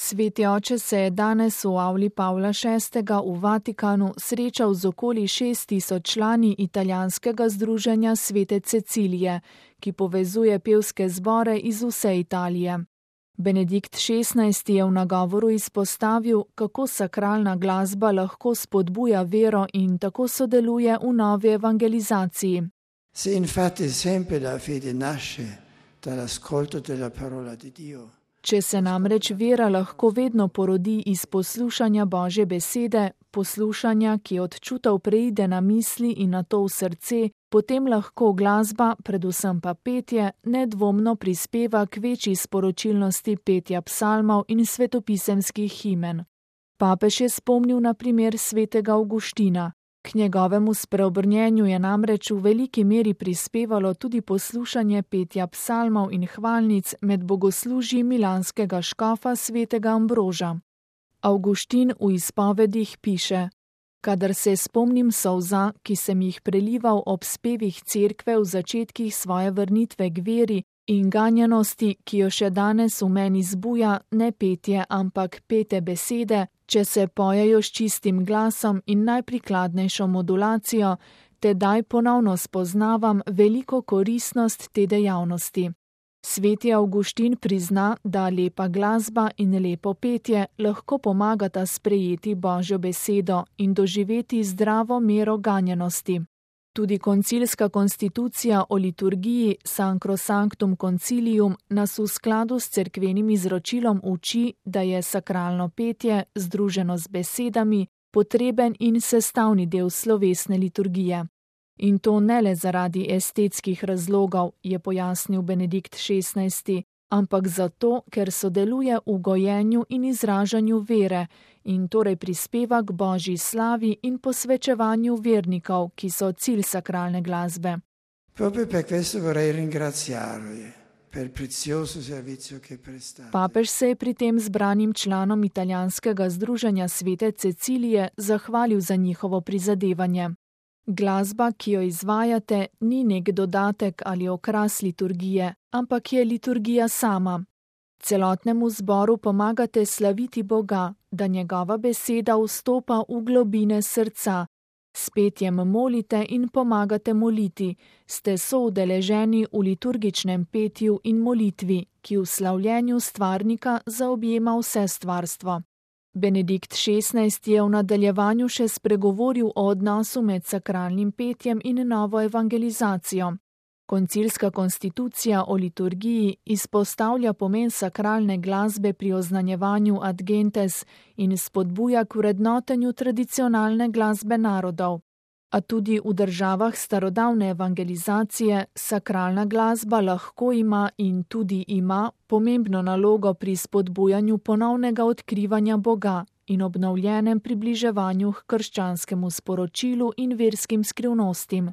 Sveti oče se je danes v avli Pavla VI. V Vatikanu srečal z okoli 6000 člani italijanskega združenja Svete Cecilije, ki povezuje pevske zbore iz vse Italije. Benedikt XVI. Je v nagovoru izpostavil, kako sakralna glasba lahko spodbuja vero in tako sodeluje v novi evangelizaciji. Se infatti sempre la fede nasce dall'ascolto della parola di Dio. Če se namreč vera lahko vedno porodi iz poslušanja Božje besede, poslušanja, ki od čutov preide na misli in nato v srce, potem lahko glasba, predvsem pa petje, nedvomno prispeva k večji sporočilnosti petja psalmov in svetopisemskih himen. Papež je spomnil na primer svetega Avguština. K njegovemu spreobrnjenju je namreč v veliki meri prispevalo tudi poslušanje petja psalmov in hvalnic med bogoslužji milanskega škofa svetega Ambroža. Avguštin v izpovedih piše: Kadar se spomnim solza, ki sem jih prelival ob spevih cerkve v začetkih svoje vrnitve k veri in ganjenosti, ki jo še danes v meni zbuja ne petje, ampak pete besede, če se pojejo s čistim glasom in najprikladnejšo modulacijo, tedaj ponovno spoznavam veliko koristnost te dejavnosti. Sveti Avguštin prizna, da lepa glasba in lepo petje lahko pomagata sprejeti Božjo besedo in doživeti zdravo mero ganjenosti. Tudi koncilska konstitucija o liturgiji Sacrosanctum Concilium nas v skladu s cerkvenim izročilom uči, da je sakralno petje, združeno z besedami, potreben in sestavni del slovesne liturgije. In to ne le zaradi estetskih razlogov, je pojasnil Benedikt XVI., ampak zato, ker sodeluje v gojenju in izražanju vere in torej prispeva k Božji slavi in posvečevanju vernikov, ki so cilj sakralne glasbe. Proprio per questo vorrei ringraziarvi per il prezioso servizio che prestate. Papež se je pri tem zbranim članom italijanskega združenja Svete Cecilije zahvalil za njihovo prizadevanje. Glasba, ki jo izvajate, ni nek dodatek ali okras liturgije, ampak je liturgija sama. Celotnemu zboru pomagate slaviti Boga, da njegova beseda vstopa v globine srca. S petjem molite in pomagate moliti, ste soudeleženi v liturgičnem petju in molitvi, ki v slavljenju stvarnika zaobjema vse stvarstvo. Benedikt XVI. Je v nadaljevanju še spregovoril o odnosu med sakralnim petjem in novo evangelizacijo. Koncilska konstitucija o liturgiji izpostavlja pomen sakralne glasbe pri oznanjevanju ad gentes in spodbuja k vrednotenju tradicionalne glasbe narodov. A tudi v državah starodavne evangelizacije sakralna glasba lahko ima in tudi ima pomembno nalogo pri spodbujanju ponovnega odkrivanja Boga in obnovljenem približevanju k krščanskemu sporočilu in verskim skrivnostim.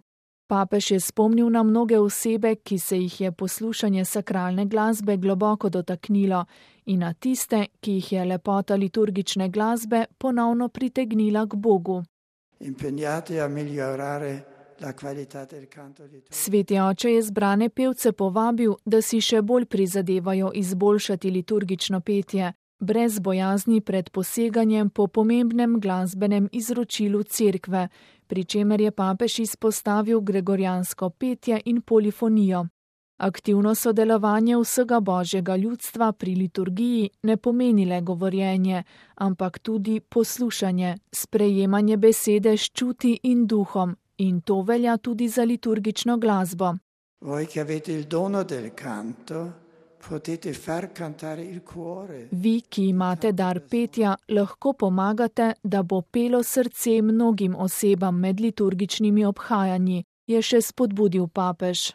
Papež je spomnil na mnoge osebe, ki se jih je poslušanje sakralne glasbe globoko dotaknilo, in na tiste, ki jih je lepota liturgične glasbe ponovno pritegnila k Bogu. Sveti oče je zbrane pevce povabil, da si še bolj prizadevajo izboljšati liturgično petje, brez bojazni pred poseganjem po pomembnem glasbenem izročilu cerkve, pri čemer je papež izpostavil gregorijansko petje in polifonijo. Aktivno sodelovanje vsega Božjega ljudstva pri liturgiji ne pomeni le govorjenje, ampak tudi poslušanje, sprejemanje besede s čuti in duhom, in to velja tudi za liturgično glasbo. Vi, ki imate dar petja, lahko pomagate, da bo pelo srce mnogim osebam med liturgičnimi obhajanji, je še spodbudil papež.